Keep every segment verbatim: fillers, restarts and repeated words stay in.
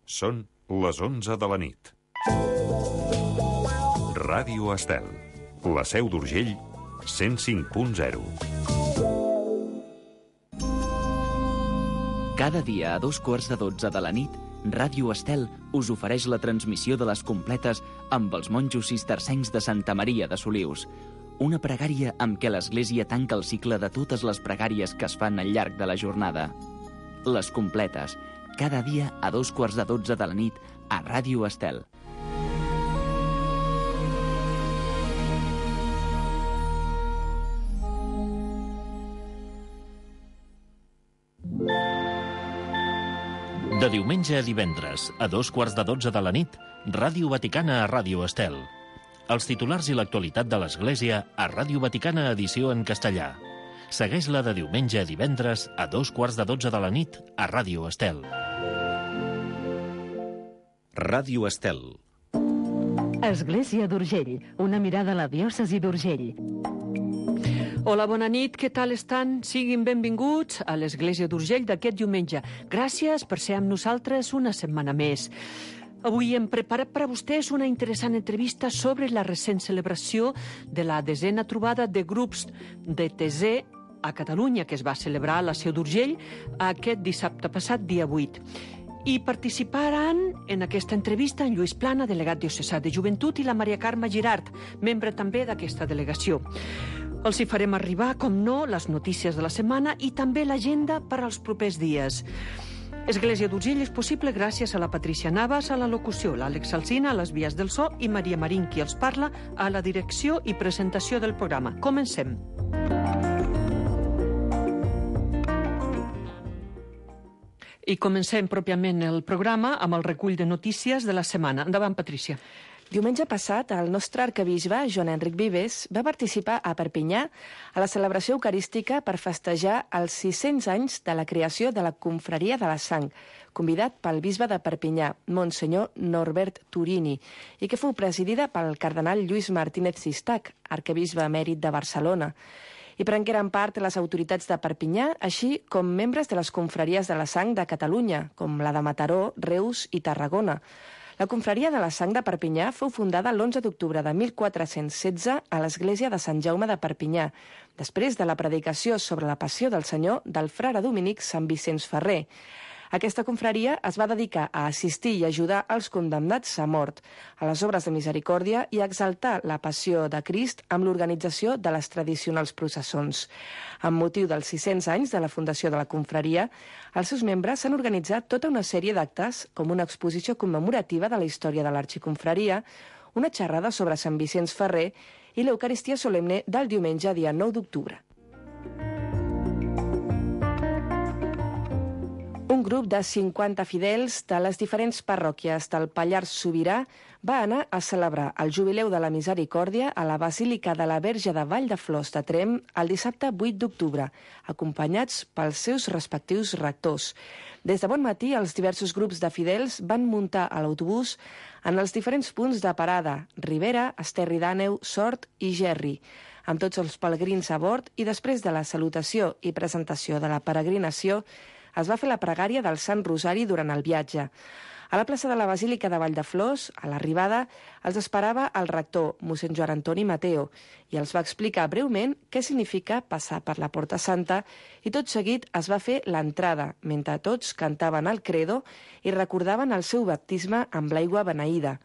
Són les onze de la nit. Ràdio Estel, la Seu d'Urgell, cent cinc punt zero. Cada dia a dos quarts de dotze de la nit, Ràdio Estel us ofereix la transmissió de les completes amb els monjos cistercencs de Santa Maria de Solius. Una pregària amb què l'Església tanca el cicle de totes les pregàries que es fan al llarg de la jornada. Les completes, cada dia a dos quarts de dotze de la nit a Ràdio Estel. De diumenge a divendres, a dos quarts de dotze de la nit, Ràdio Vaticana a Ràdio Estel. Els titulars i l'actualitat de l'Església a Ràdio Vaticana edició en castellà. Segueix-la de diumenge a divendres a dos quarts de dotze de la nit a Ràdio Estel. Ràdio Estel. Església d'Urgell, una mirada a la diòcesi d'Urgell. Hola, bona nit, què tal estan? Siguin benvinguts a l'Església d'Urgell d'aquest diumenge. Gràcies per ser amb nosaltres una setmana més. Avui hem preparat per a vostès una interessant entrevista sobre la recent celebració de la desena trobada de grups de Tesè a Catalunya, que es va celebrar a la Seu d'Urgell aquest dissabte passat, dia vuit. I participaran en aquesta entrevista en Lluís Plana, delegat diocesà de Joventut, i la Maria Carme Girart, membre també d'aquesta delegació. Els hi farem arribar, com no, les notícies de la setmana i també l'agenda per als propers dies. Església d'Urgell és possible gràcies a la Patricia Navas a la locució, l'Àlex Alsina a les vies del so i Maria Marín, qui els parla, a la direcció i presentació del programa. Comencem. I comencem pròpiament el programa amb el recull de notícies de la setmana. Endavant, Patricia. Diumenge passat, el nostre arquebisbe, Joan Enric Vives, va participar a Perpinyà a la celebració eucarística per festejar els sis-cents anys de la creació de la Confraria de la Sang, convidat pel bisbe de Perpinyà, Monsenyor Norbert Turini, i que fou presidida pel cardenal Lluís Martínez Sistac, arquebisbe emèrit de Barcelona. I prengueren part les autoritats de Perpinyà, així com membres de les confraries de la Sang de Catalunya, com la de Mataró, Reus i Tarragona. La Confraria de la Sang de Perpinyà fou fundada l'onze d'octubre de mil quatre-cents setze a l'església de Sant Jaume de Perpinyà, després de la predicació sobre la passió del Senyor del frare dominic Sant Vicenç Ferrer. Aquesta confraria es va dedicar a assistir i ajudar els condemnats a mort, a les obres de misericòrdia i a exaltar la passió de Crist amb l'organització de les tradicionals processons. Amb motiu dels sis-cents anys de la fundació de la confraria, els seus membres han organitzat tota una sèrie d'actes, com una exposició commemorativa de la història de l'arxiconfraria, una xerrada sobre Sant Vicenç Ferrer i l'Eucaristia solemne del diumenge dia nou d'octubre. Un grup de cinquanta fidels de les diferents parròquies del Pallars Sobirà va anar a celebrar el Jubileu de la Misericòrdia a la Basílica de la Verge de Vall de Flors de Tremp el dissabte vuit d'octubre, acompanyats pels seus respectius rectors. Des de bon matí, els diversos grups de fidels van muntar a l'autobús en els diferents punts de parada, Ribera, Esterri d'Àneu, Sort i Gerri, amb tots els pelegrins a bord, i després de la salutació i presentació de la peregrinació, es va fer la pregària del Sant Rosari durant el viatge. A la plaça de la Basílica de Vall de Flors, a l'arribada, els esperava el rector, mossèn Joan Antoni Mateo, i els va explicar breument què significa passar per la Porta Santa, i tot seguit es va fer l'entrada, mentre tots cantaven el credo i recordaven el seu baptisme amb l'aigua beneïda.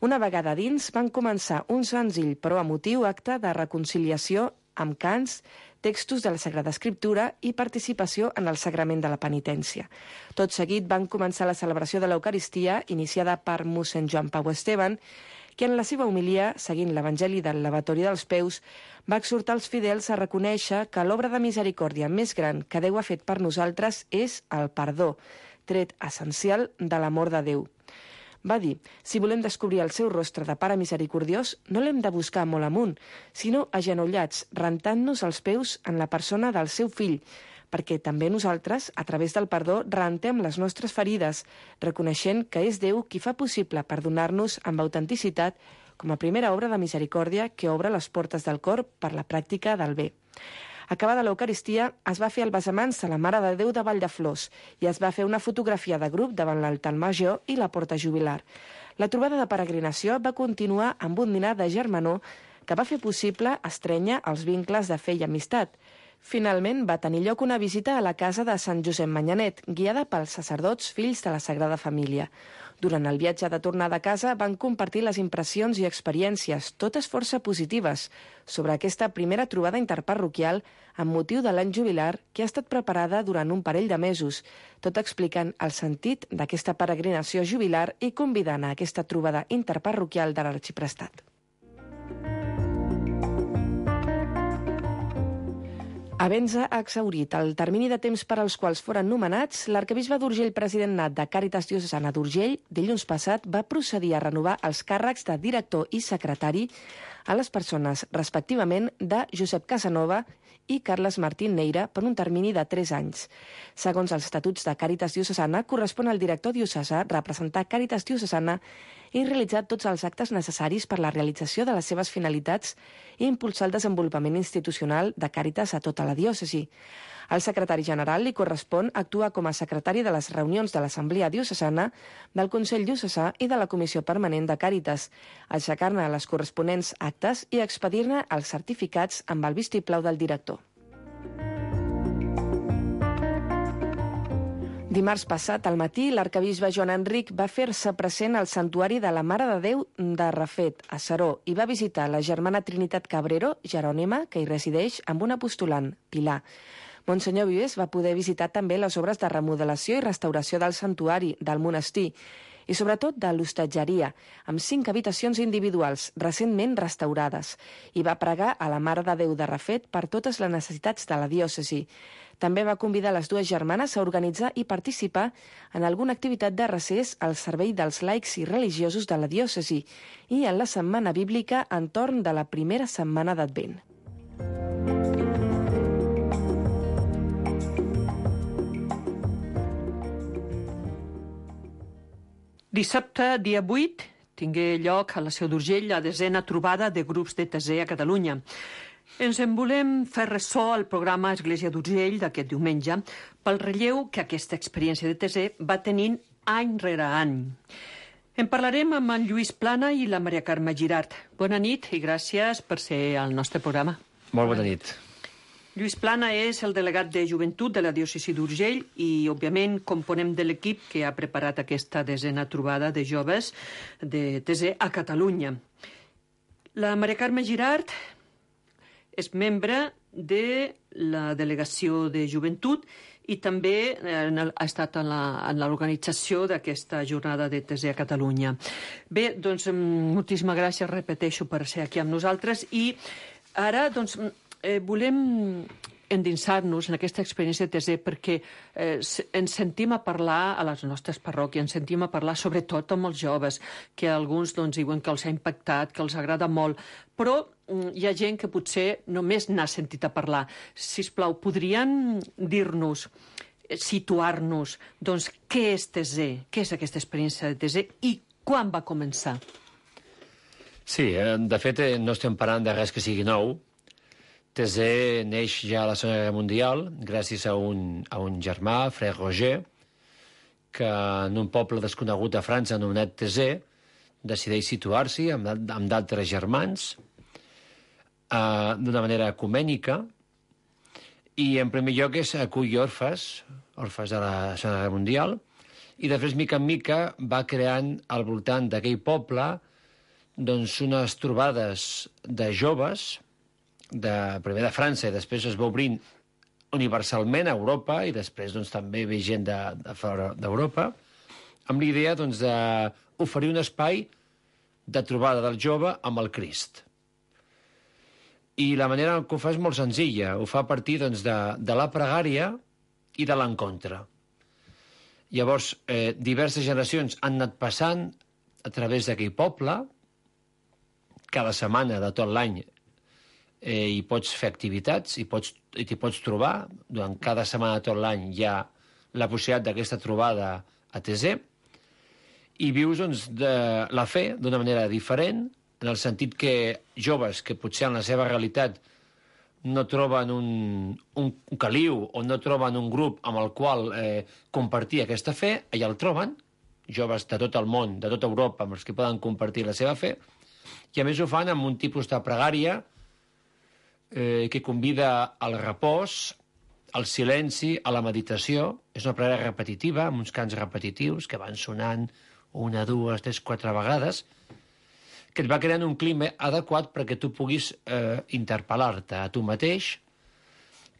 Una vegada dins, van començar un senzill però emotiu acte de reconciliació amb cants, textos de la Sagrada Escriptura i participació en el sagrament de la penitència. Tot seguit van començar la celebració de l'Eucaristia, iniciada per mossèn Joan Pau Esteban, que en la seva homilia, seguint l'Evangeli del lavatori dels peus, va exhortar els fidels a reconèixer que l'obra de misericòrdia més gran que Déu ha fet per nosaltres és el perdó, tret essencial de l'amor de Déu. Va dir, si volem descobrir el seu rostre de Pare misericordiós, no l'hem de buscar molt amunt, sinó agenollats, rentant-nos els peus en la persona del seu fill, perquè també nosaltres, a través del perdó, rentem les nostres ferides, reconeixent que és Déu qui fa possible perdonar-nos amb autenticitat com a primera obra de misericòrdia que obre les portes del cor per la pràctica del bé. Acabada l'Eucaristia, es va fer el besamans a la Mare de Déu de Vall de Flors i es va fer una fotografia de grup davant l'altar major i la porta jubilar. La trobada de peregrinació va continuar amb un dinar de germanor que va fer possible estrènyer els vincles de fe i amistat. Finalment, va tenir lloc una visita a la casa de Sant Josep Manyanet, guiada pels sacerdots fills de la Sagrada Família. Durant el viatge de tornada a casa van compartir les impressions i experiències, totes força positives, sobre aquesta primera trobada interparroquial amb motiu de l'any jubilar que ha estat preparada durant un parell de mesos, tot explicant el sentit d'aquesta peregrinació jubilar i convidant a aquesta trobada interparroquial de l'Arxiprestat. Havent-se exhaurit el termini de temps per als quals foren nomenats, l'arquebisbe d'Urgell president nat de Càritas Diocesana d'Urgell, dilluns passat, va procedir a renovar els càrrecs de director i secretari a les persones, respectivament, de Josep Casanova i Carles Martín Neira per un termini de tres anys. Segons els estatuts de Càritas Diocesana, correspon al director diocesà representar Càritas Diocesana i realitzar tots els actes necessaris per la realització de les seves finalitats i impulsar el desenvolupament institucional de Càritas a tota la diòcesi. Al secretari general li correspon actuar com a secretari de les reunions de l'Assemblea Diocesana, del Consell Diocesà i de la Comissió Permanent de Càritas, aixecar-ne les corresponents actes i expedir-ne els certificats amb el vistiplau del director. Dimarts passat, al matí, l'arquebisbe Joan Enric va fer-se present al santuari de la Mare de Déu de Rafet, a Seró, i va visitar la germana Trinitat Cabrero, Jerònima, que hi resideix, amb un apostolant, Pilar. Monsenyor Vives va poder visitar també les obres de remodelació i restauració del santuari, del monestir, i sobretot de l'hostatgeria, amb cinc habitacions individuals recentment restaurades, i va pregar a la Mare de Déu de Rafet per totes les necessitats de la diòcesi. També va convidar les dues germanes a organitzar i participar en alguna activitat de recés al servei dels laics i religiosos de la diòcesi i en la setmana bíblica entorn de la primera setmana d'Advent. Dissabte, dia vuit, tingué lloc a la Seu d'Urgell la desena trobada de grups de T Z a Catalunya. Ens en volem fer ressò al programa Església d'Urgell d'aquest diumenge pel relleu que aquesta experiència de T Z va tenint any rere any. En parlarem amb en Lluís Plana i la Maria Carme Girart. Bona nit i gràcies per ser al nostre programa. Molt bona nit. Lluís Plana és el delegat de Joventut de la diòcesi d'Urgell i, òbviament, component de l'equip que ha preparat aquesta desena trobada de joves de T Z a Catalunya. La Maria Carme Girart és membre de la delegació de Joventut i també ha estat en l'organització d'aquesta jornada de T Z a Catalunya. Bé, doncs, moltíssimes gràcies, repeteixo, per ser aquí amb nosaltres i ara, doncs, Eh, volem endinsar-nos en aquesta experiència de T Z perquè eh, ens sentim a parlar a les nostres parròquies, ens sentim a parlar sobretot amb els joves, que alguns doncs, diuen que els ha impactat, que els agrada molt, però mm, hi ha gent que potser només n'ha sentit a parlar. Sisplau, podrien dir-nos, situar-nos, doncs, què és T Z? Què és aquesta experiència de T Z i quan va començar? Sí, de fet, no estem parlant de res que sigui nou. T Z neix ja a la Segona Guerra Mundial gràcies a un, a un germà, Frère Roger, que en un poble desconegut a França anomenat T Z decideix situar-s'hi amb, amb d'altres germans uh, d'una manera ecumènica i en primer lloc és acull orfes, orfes de la Segona Guerra Mundial i després mica en mica va creant al voltant d'aquell poble doncs unes trobades de joves de, primer de França i després es va obrint universalment a Europa i després doncs, també ve gent de, de fora d'Europa amb l'idea doncs, d'oferir un espai de trobada del jove amb el Crist. I la manera que ho fa és molt senzilla, ho fa a partir doncs, de, de la pregària i de l'encontre. Llavors, eh, diverses generacions han anat passant a través d'aquell poble, cada setmana de tot l'any Eh, hi pots fer activitats i pots, t'hi pots trobar. Durant cada setmana de tot l'any hi ha la possibilitat d'aquesta trobada a T Z i vius doncs, de la fe d'una manera diferent, en el sentit que joves que potser en la seva realitat no troben un, un caliu o no troben un grup amb el qual eh, compartir aquesta fe, allà el troben, joves de tot el món, de tota Europa, amb els que poden compartir la seva fe, i a més ho fan amb un tipus de pregària eh, que convida al repòs, al silenci, a la meditació. És una pregària repetitiva, amb uns cants repetitius que van sonant una, dues, tres, quatre vegades, que et va creant un clima adequat perquè tu puguis eh, interpel·lar-te a tu mateix,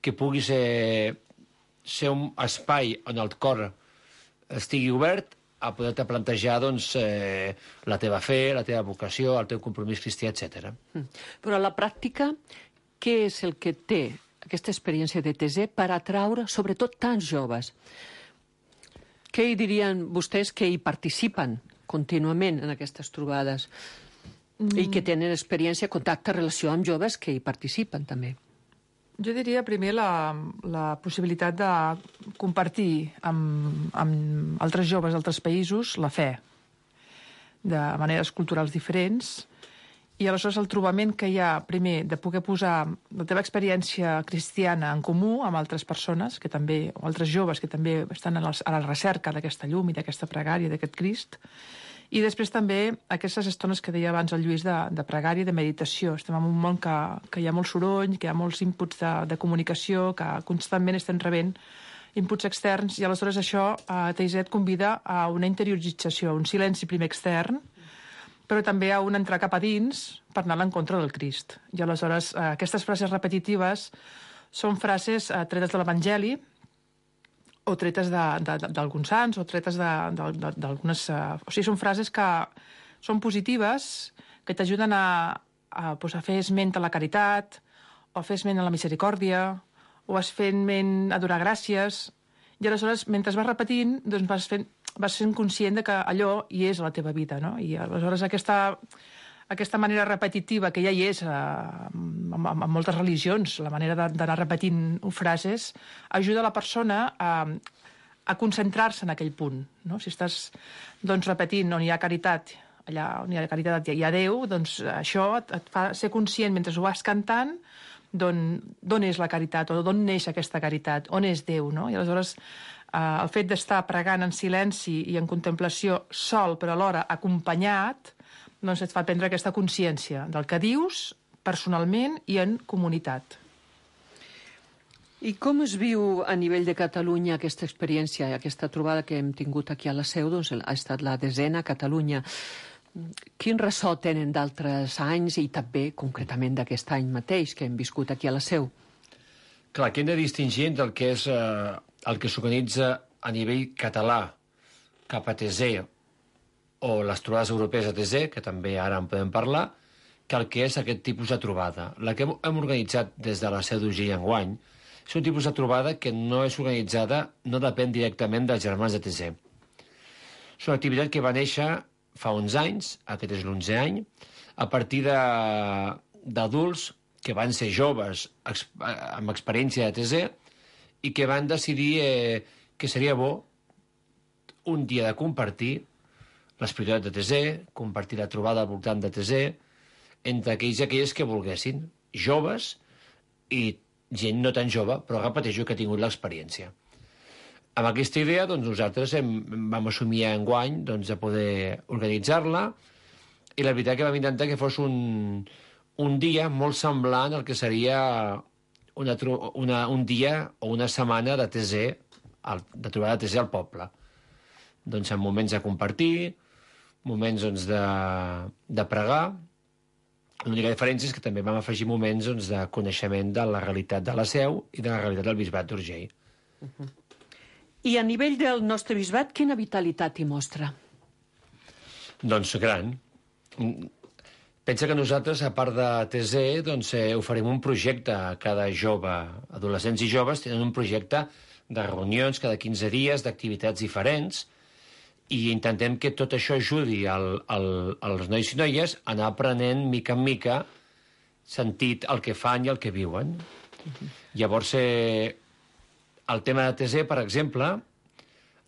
que puguis eh, ser un espai on el cor estigui obert a poder-te plantejar doncs, eh, la teva fe, la teva vocació, el teu compromís cristià, etcètera. Però a la pràctica, què és el que té aquesta experiència de T Z per atraure, sobretot, tants joves? Què hi dirien vostès que hi participen contínuament en aquestes trobades mm. i que tenen experiència, contacte, relació amb joves que hi participen també? Jo diria primer la, la possibilitat de compartir amb, amb altres joves d'altres països la fe, de maneres culturals diferents, i aleshores el trobament que hi ha, primer, de poder posar la teva experiència cristiana en comú amb altres persones, que també, o altres joves que també estan a la, a la recerca d'aquesta llum i d'aquesta pregària, d'aquest Crist, i després també aquestes estones que deia abans el Lluís de, de pregària i de meditació. Estem en un món que, que hi ha molt soroll, que hi ha molts inputs de, de comunicació, que constantment estem rebent inputs externs, i aleshores això a T Z et convida a una interiorització, un silenci primer extern, però també a un entrar cap a dins per anar a l'encontre del Crist. I aleshores eh, aquestes frases repetitives són frases eh, tretes de l'Evangeli, o tretes d'alguns sants, o tretes d'algunes... O sigui, són frases que són positives, que t'ajuden a, a, pues, a fer esment a la caritat, o a fer esment a la misericòrdia, o a fer esment a donar gràcies, i aleshores, mentre vas repetint, doncs vas fent, vas sent conscient de que allò hi és a la teva vida, no? I aleshores aquesta... Aquesta manera repetitiva, que ja hi és en, en, en moltes religions, la manera d'anar repetint frases, ajuda la persona a, a concentrar-se en aquell punt. No? Si estàs doncs, repetint on hi ha caritat, allà on hi ha caritat hi ha Déu, doncs això et, et fa ser conscient, mentre ho vas cantant, d'on és la caritat, o d'on neix aquesta caritat, on és Déu. No? I aleshores eh, el fet d'estar pregant en silenci i en contemplació sol, però alhora acompanyat, doncs et fa prendre aquesta consciència del que dius personalment i en comunitat. I com es viu a nivell de Catalunya aquesta experiència, aquesta trobada que hem tingut aquí a la Seu, doncs ha estat la desena a Catalunya. Quin ressò tenen d'altres anys i també concretament d'aquest any mateix que hem viscut aquí a la Seu? Clar, aquí hem de distingir entre el que és eh, el que s'organitza a nivell català cap a T Z o les trobades europees a T Z, que també ara en podem parlar, que el que és aquest tipus de trobada. La que hem organitzat des de la Seu d'Urgell enguany és un tipus de trobada que no és organitzada, no depèn directament dels germans de T Z. És una activitat que va néixer fa uns anys, aquest és l'onzè any, a partir d'adults que van ser joves amb experiència de T Z i que van decidir eh, que seria bo un dia de compartir l'espiritualitat de T Z, compartir la trobada al voltant de T Z, entre aquells i aquelles que volguessin, joves i gent no tan jove, però repeteixo que ha tingut l'experiència. Amb aquesta idea, doncs, nosaltres hem, vam assumir enguany doncs, de poder organitzar-la, i la veritat que vam intentar que fos un, un dia molt semblant al que seria una, una, un dia o una setmana de T Z, de trobada de T Z al poble. Doncs en moments de compartir, moments doncs, de, de pregar. L'única diferència és que també vam afegir moments doncs, de coneixement de la realitat de la Seu i de la realitat del bisbat d'Urgell. Uh-huh. I a nivell del nostre bisbat, quina vitalitat hi mostra? Doncs gran. Pensa que nosaltres, a part de T Z, doncs, eh, oferim un projecte a cada jove. Adolescents i joves tenen un projecte de reunions cada quinze dies, d'activitats diferents, i intentem que tot això ajudi al, al, als nois i noies a anar aprenent mica en mica sentit el que fan i el que viuen. Uh-huh. Llavors, eh, el tema de T Z, per exemple,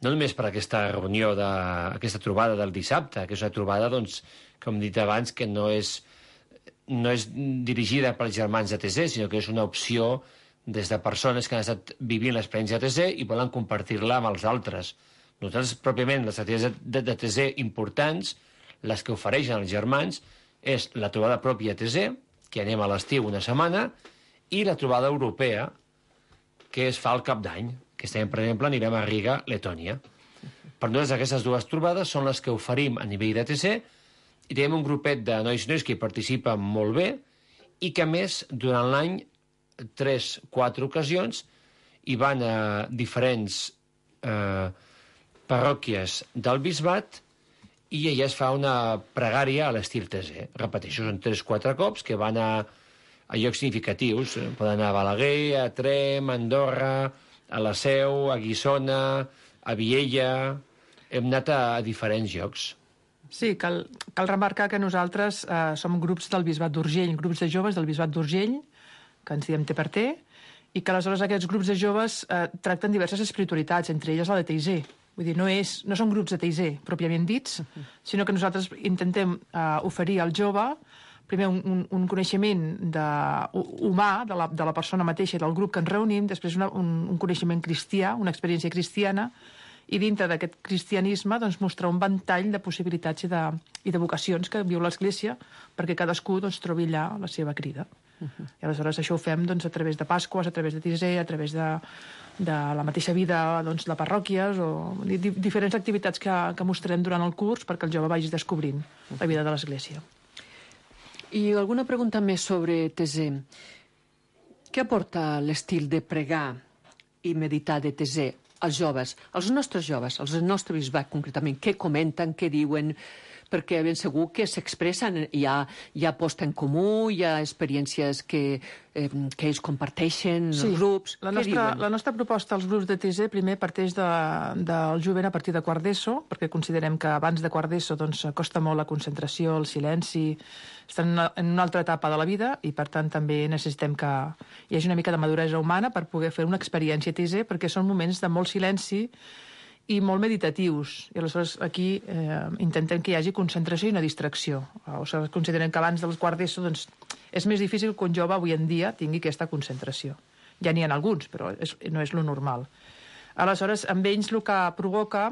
no només per aquesta reunió, de, aquesta trobada del dissabte, que és una trobada, doncs, com he dit abans, que no és no és dirigida pels germans de T Z, sinó que és una opció des de persones que han estat vivint l'experiència de T Z i volen compartir-la amb els altres. Nosaltres, pròpiament, les activitats de, de T Z importants, les que ofereixen els germans, és la trobada pròpia T Z, que anem a l'estiu una setmana, i la trobada europea, que es fa al cap d'any, que estem, per exemple, anirem a Riga, Letònia. Per nosaltres, aquestes dues trobades són les que oferim a nivell de T Z, i tenim un grupet de nois i nois que hi participen molt bé, i que, a més, durant l'any, tres, quatre ocasions, hi van a diferents eh, parròquies del bisbat i allà es fa una pregària a l'estil T Z. Repeteixo, són tres, quatre cops que van a, a llocs significatius. Poden anar a Balaguer, a Trem, a Andorra, a la Seu, a Guissona, a Viella... Hem anat a, a diferents llocs. Sí, cal, cal remarcar que nosaltres eh, som grups del Bisbat d'Urgell, grups de joves del Bisbat d'Urgell, que ens diem T per T, i que aleshores aquests grups de joves eh, tracten diverses espiritualitats, entre elles la de T I Z. Vull dir, no, és, no són grups de T I Z pròpiament dits, sinó que nosaltres intentem eh, oferir al jove primer un, un, un coneixement de, humà de la, de la persona mateixa i del grup que ens reunim, després una, un, un coneixement cristià, una experiència cristiana, i dintre d'aquest cristianisme doncs, mostrar un ventall de possibilitats i de, i de vocacions que viu l'Església perquè cadascú doncs, trobi allà la seva crida. Uh-huh. I aleshores això ho fem doncs, a través de Pasques, a través de T I Z, a través de, de la mateixa vida doncs, de parròquies o di diferents activitats que, que mostrarem durant el curs perquè el jove vagi descobrint la vida de l'Església. I alguna pregunta més sobre T Z? Què aporta l'estil de pregar i meditar de T Z als joves, als nostres joves, als nostres bisbat concretament? Què comenten, què diuen? Perquè ben segur que s'expressen, hi ha, hi ha posta en comú, hi ha experiències que, eh, que ells comparteixen, sí, els grups. La què nostra, diuen? La nostra proposta als grups de T Z primer parteix de, del jovent a partir de quart d'ESO, perquè considerem que abans de quart d'ESO doncs, costa molt la concentració, el silenci, estan en una, en una altra etapa de la vida i per tant també necessitem que hi hagi una mica de maduresa humana per poder fer una experiència T Z, perquè són moments de molt silenci i molt meditatius. I aleshores aquí eh, intentem que hi hagi concentració i una distracció. O sigui, considerem que abans del quart d'ESO doncs, és més difícil que un jove avui en dia tingui aquesta concentració. Ja n'hi ha alguns, però és, no és lo normal. Aleshores, amb ells el que provoca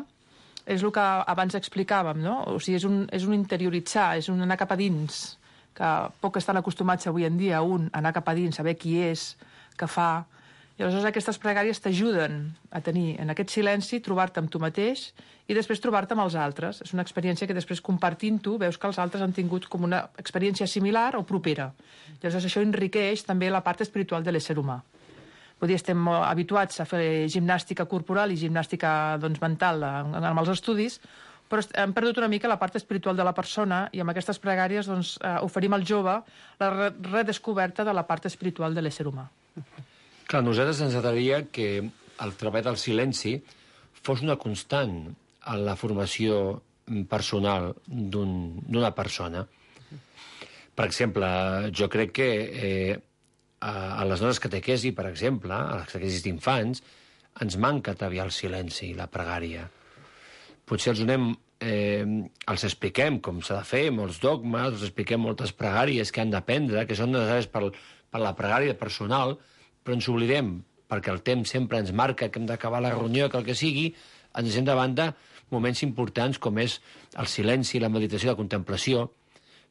és el que abans explicàvem, no? O sigui, és un, és un interioritzar, és un anar cap a dins, que poc estan acostumats avui en dia a un anar cap a dins, saber qui és, què fa. I aleshores aquestes pregàries t'ajuden a tenir en aquest silenci, trobar-te amb tu mateix i després trobar-te amb els altres. És una experiència que després compartint-ho veus que els altres han tingut com una experiència similar o propera. I aleshores això enriqueix també la part espiritual de l'ésser humà. Vull dir, estem habituats a fer gimnàstica corporal i gimnàstica doncs, mental amb els estudis, però hem perdut una mica la part espiritual de la persona i amb aquestes pregàries doncs, oferim al jove la redescoberta de la part espiritual de l'ésser humà. Clar, a nosaltres ens agradaria que el treball del silenci fos una constant en la formació personal d'una un, persona. Per exemple, jo crec que eh, a, a les nostres catequesis, per exemple, a les catequesis d'infants, ens manca treballar el silenci, la pregària. Potser els donem, eh, els expliquem com s'ha de fer, molts dogmes, els expliquem moltes pregàries que han d'aprendre, que són necessàries per, per la pregària personal, però ens oblidem, perquè el temps sempre ens marca que hem d'acabar la reunió, que el que sigui, ens deixem de banda moments importants com és el silenci, la meditació, la contemplació,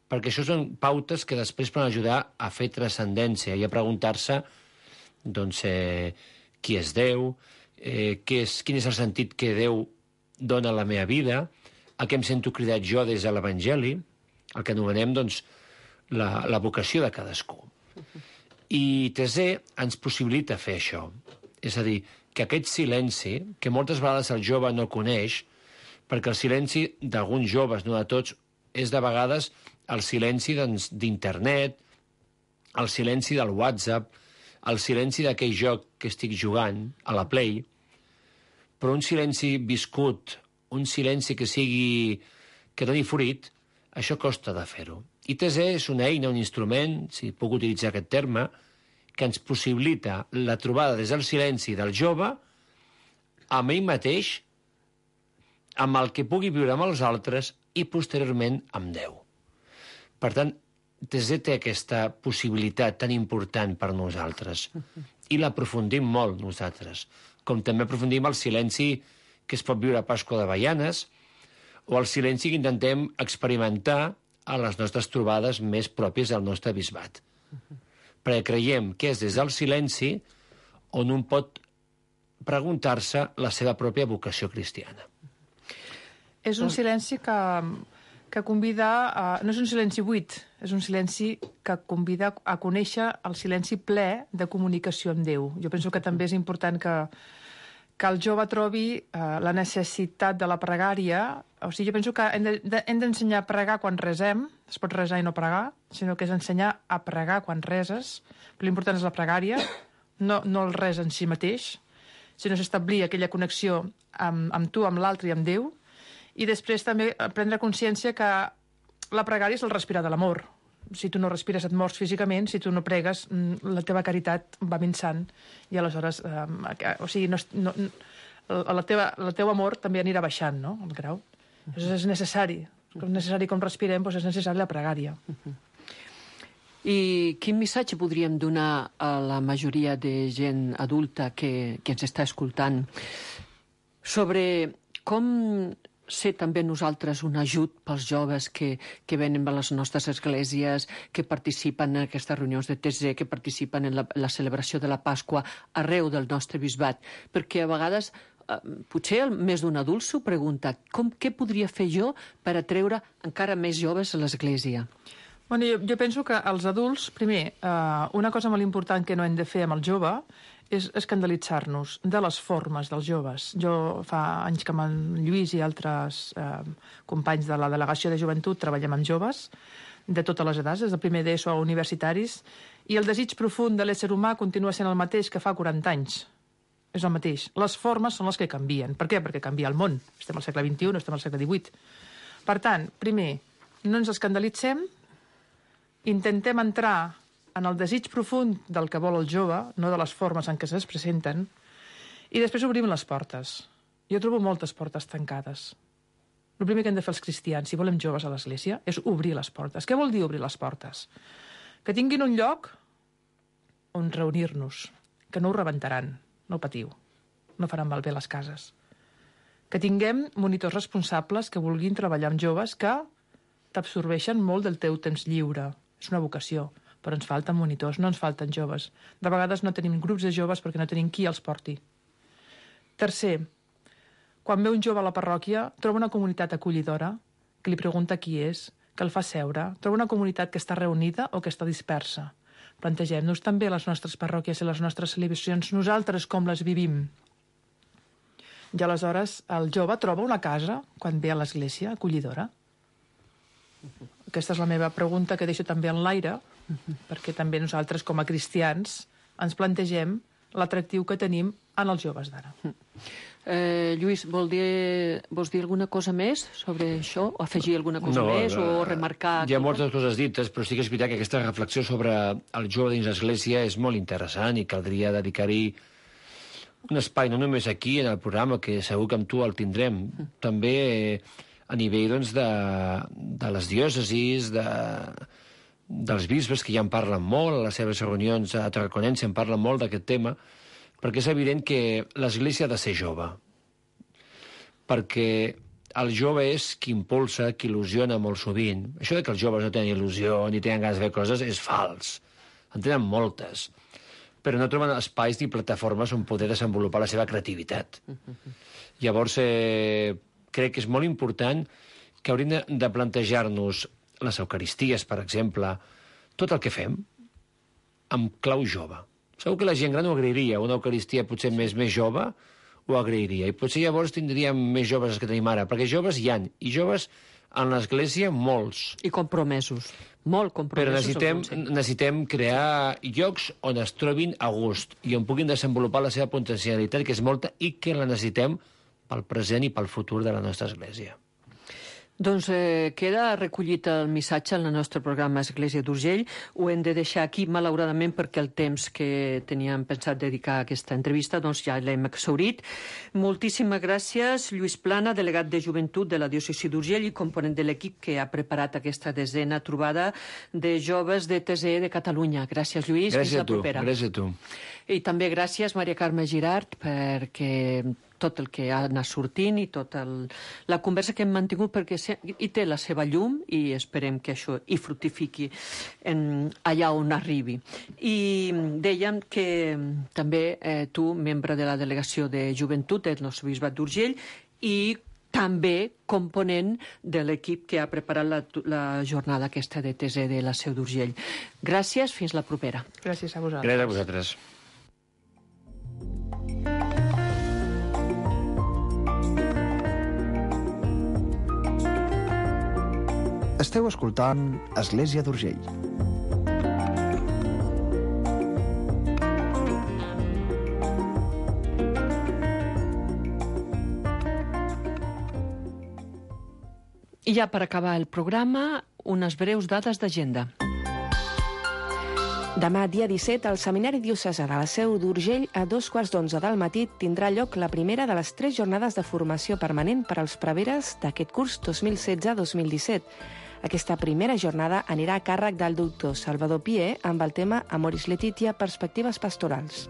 perquè això són pautes que després poden ajudar a fer transcendència i a preguntar-se doncs, eh, qui és Déu, eh, què és, quin és el sentit que Déu dona a la meva vida, a què em sento cridat jo des de l'Evangeli, el que anomenem doncs, la, la vocació de cadascú. I T Z ens possibilita fer això. És a dir, que aquest silenci, que moltes vegades el jove no coneix, perquè el silenci d'alguns joves, no de tots, és de vegades el silenci d'internet, el silenci del WhatsApp, el silenci d'aquell joc que estic jugant a la Play, però un silenci viscut, un silenci que sigui que doni fruit, això costa de fer-ho. I T Z és una eina, un instrument, si puc utilitzar aquest terme, que ens possibilita la trobada des del silenci del jove amb ell mateix, amb el que pugui viure amb els altres i posteriorment amb Déu. Per tant, Tese té aquesta possibilitat tan important per nosaltres i l'aprofundim molt nosaltres, com també aprofundim el silenci que es pot viure a Pasqua de Baianes o el silenci que intentem experimentar a les nostres trobades més pròpies del nostre bisbat. Perquè creiem que és des del silenci on un pot preguntar-se la seva pròpia vocació cristiana. És un silenci que, que convida... A, no és un silenci buit, és un silenci que convida a conèixer el silenci ple de comunicació amb Déu. Jo penso que també és important que, que el jove trobi eh, la necessitat de la pregària. O sigui, jo penso que hem, de, de, hem d'ensenyar a pregar quan resem. Es pot resar i no pregar, sinó que és ensenyar a pregar quan reses. Però l'important és la pregària, no, no el res en si mateix, sinó establir aquella connexió amb, amb tu, amb l'altre i amb Déu. I després també prendre consciència que la pregària és el respirar de l'amor. Si tu no respires et mors físicament, si tu no pregues la teva caritat va minçant i aleshores eh, o sigui, no, no, la, teva, la teu amor també anirà baixant, no?, el grau. Llavors és necessari, és necessari com respirem, doncs és necessari la pregària. I quin missatge podríem donar a la majoria de gent adulta que, que ens està escoltant sobre com ser també nosaltres un ajut pels joves que, que venen a les nostres esglésies, que participen en aquestes reunions de T Z, que participen en la, la celebració de la Pasqua arreu del nostre bisbat? Perquè a vegades, eh, potser més d'un adult s'ho pregunta, com, què podria fer jo per atreure encara més joves a l'església? Bueno, jo, jo penso que els adults, primer, eh, una cosa molt important que no hem de fer amb el jove és escandalitzar-nos de les formes dels joves. Jo fa anys que amb en Lluís i altres eh, companys de la delegació de joventut treballem amb joves de totes les edats, des del primer d'ESO a universitaris, i el desig profund de l'ésser humà continua sent el mateix que fa quaranta anys. És el mateix. Les formes són les que canvien. Per què? Perquè canvia el món. Estem al segle vint-i-u, no estem al segle divuit. Per tant, primer, no ens escandalitzem, intentem entrar en el desig profund del que vol el jove, no de les formes en què es presenten, i després obrim les portes. Jo trobo moltes portes tancades. El primer que hem de fer els cristians, si volem joves a l'església, és obrir les portes. Què vol dir obrir les portes? Que tinguin un lloc on reunir-nos, que no ho rebentaran, no patiu, no faran malbé les cases. Que tinguem monitors responsables que vulguin treballar amb joves que t'absorbeixen molt del teu temps lliure. És una vocació. Però ens falten monitors, no ens falten joves. De vegades no tenim grups de joves perquè no tenim qui els porti. Tercer, quan ve un jove a la parròquia, troba una comunitat acollidora que li pregunta qui és, que el fa seure, troba una comunitat que està reunida o que està dispersa. Plantegem-nos també les nostres parròquies i les nostres celebracions, nosaltres com les vivim. I aleshores el jove troba una casa, quan ve a l'església, acollidora. Aquesta és la meva pregunta que deixo també en l'aire, perquè també nosaltres, com a cristians, ens plantegem l'atractiu que tenim en els joves d'ara. Eh, Lluís, vol dir, vols dir alguna cosa més sobre això? O afegir alguna cosa no, més? O remarcar... Hi ha moltes coses dites, però sí que és veritat que aquesta reflexió sobre el jove dins l'església és molt interessant i caldria dedicar-hi un espai, no només aquí, en el programa, que segur que amb tu el tindrem, mm. també a nivell doncs, de, de les diòcesis, de... dels bisbes, que ja en parlen molt, a les seves reunions a Tarraconense en parlen molt d'aquest tema, perquè és evident que l'Església ha de ser jove. Perquè el jove és qui impulsa, qui il·lusiona molt sovint. Això de que els joves no tenen il·lusió ni tenen ganes de fer coses és fals. En tenen moltes. Però no troben espais ni plataformes on poder desenvolupar la seva creativitat. Llavors, eh, crec que és molt important que hauríem de, de plantejar-nos les eucaristies, per exemple, tot el que fem, amb clau jove. Segur que la gent gran ho agrairia, una eucaristia potser més més jove ho agrairia, i potser llavors tindríem més joves que tenim ara, perquè joves hi han, i joves en l'església molts. I compromesos, molt compromesos. Però necessitem, necessitem crear llocs on es trobin a gust, i on puguin desenvolupar la seva potencialitat, que és molta, i que la necessitem pel present i pel futur de la nostra església. Doncs eh, queda recollit el missatge en el nostre programa Església d'Urgell. Ho hem de deixar aquí, malauradament, perquè el temps que teníem pensat dedicar a aquesta entrevista doncs ja l'hem exhaurit. Moltíssimes gràcies, Lluís Plana, delegat de Joventut de la Diòcesi d'Urgell i component de l'equip que ha preparat aquesta desena trobada de joves de T S E de Catalunya. Gràcies, Lluís. Gràcies Fins la a tu. propera. Gràcies a tu. I també gràcies, Maria Carme Girart, perquè tot el que ha anat sortint i tota la conversa que hem mantingut, perquè hi té la seva llum i esperem que això hi fructifiqui en, allà on arribi. I dèiem que també eh, tu, membre de la delegació de Joventut del nostre bisbat d'Urgell i també component de l'equip que ha preparat la, la jornada aquesta de T S E de la Seu d'Urgell. Gràcies, fins la propera. Gràcies a vosaltres. Gràcies a vosaltres. Esteu escoltant Església d'Urgell. I ja per acabar el programa, unes breus dades d'agenda. Demà, dia disset, al Seminari Diocesà de la Seu d'Urgell, a dos quarts d'onze del matí, tindrà lloc la primera de les tres jornades de formació permanent per als preveres d'aquest curs dos mil setze dos mil disset. Aquesta primera jornada anirà a càrrec del doctor Salvador Pié amb el tema Amoris Laetitia, perspectives pastorals.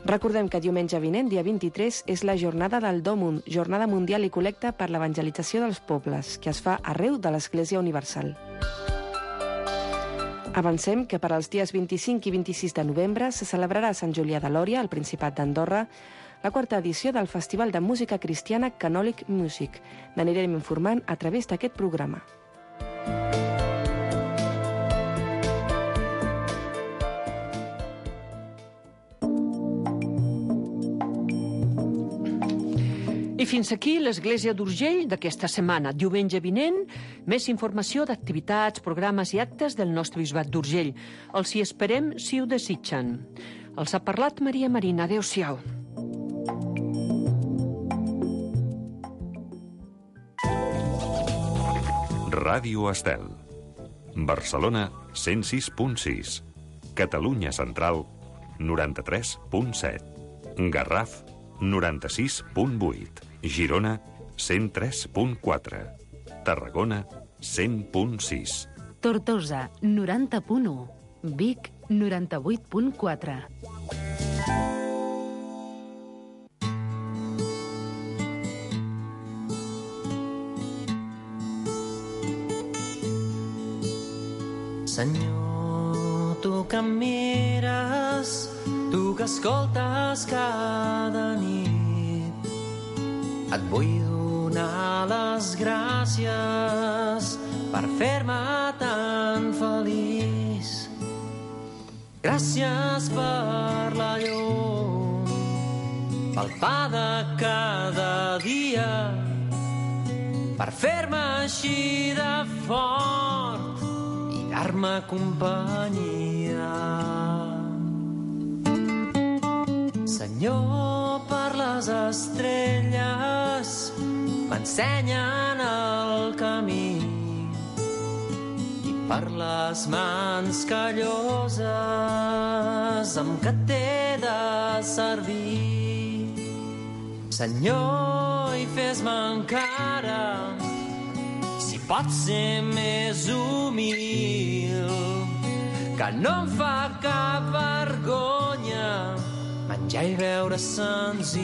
Recordem que diumenge vinent, dia vint-i-tres, és la jornada del Dòmund, Jornada Mundial i Col·lecta per l'Evangelització dels Pobles, que es fa arreu de l'Església Universal. Avancem que per als dies vint-i-cinc i vint-i-sis de novembre se celebrarà a Sant Julià de Lòria, al Principat d'Andorra, la quarta edició del Festival de Música Cristiana Canòlic Music. N'anirem informant a través d'aquest programa. I fins aquí l'Església d'Urgell d'aquesta setmana. Diumenge vinent, més informació d'activitats, programes i actes del nostre bisbat d'Urgell. Els hi esperem si ho desitgen. Els ha parlat Maria Marina. Adéu-siau. Ràdio Estel. Barcelona, cent sis punt sis. Catalunya Central, noranta-tres punt set. Garraf, noranta-sis punt vuit. Girona, cent tres punt quatre. Tarragona, cent punt sis. Tortosa, noranta punt u. Vic, noranta-vuit punt quatre. Senyor, tu que em mires, tu que escoltes cada nit, et vull donar les gràcies per fer-me tan feliç. Gràcies per la llum, pel pa de cada dia, per fer-me així de fort, dar-me companyia. Senyor, per les estrelles m'ensenyen el camí i per les mans calloses amb què t'he de servir. Senyor, i fes-me encara, si pot ser més humil, que no em fa cap vergonya menjar i beure senzill.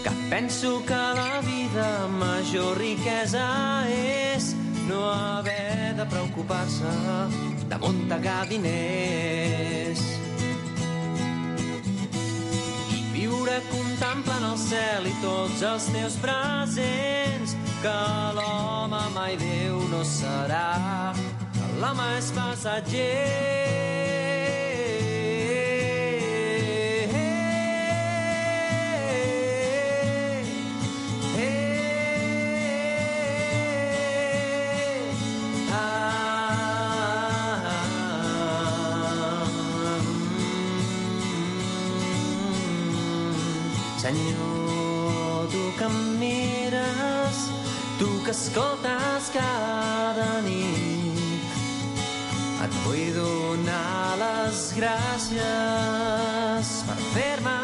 Que penso que la vida major riquesa és no haver de preocupar-se d'amuntegar diners. Viure contemplant el cel i tots els teus presents, que l'home mai Déu no serà, que l'home és passatger. Senyor, tu que em mires, tu que escoltes cada nit, et vull donar les gràcies per fer-me